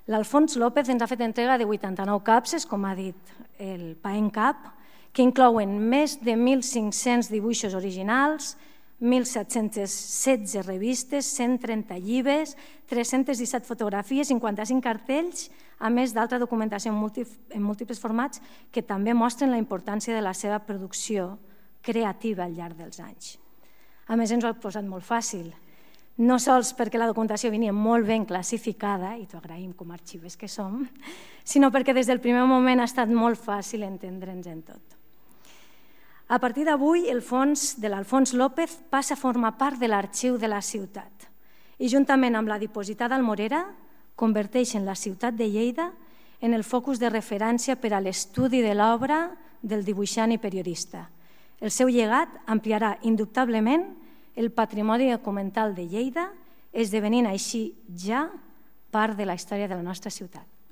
L'Alfons López ens ha fet entrega de 89 capses, com ha dit el PAENCAP, que inclouen més de 1.500 dibuixos originals, 1.716 revistes, 130 llibres, 317 fotografies, 55 cartells, a més d'altra documentació en múltiples formats que també mostren la importància de la seva producció creativa al llarg dels anys. A més, ens ho ha posat molt fàcil, no sols perquè la documentació venia molt ben classificada, i t'ho agraïm com a arxives que som, sinó perquè des del primer moment ha estat molt fàcil entendre'ns en tot. A partir d'avui, el fons de l'Alfons López passa a formar part de l'arxiu de la ciutat i, juntament amb la dipositada Almorera, converteixen la ciutat de Lleida en el focus de referència per a l'estudi de l'obra del dibuixant i periodista. El seu llegat ampliarà indubtablement el patrimoni documental de Lleida, esdevenint així ja part de la història de la nostra ciutat.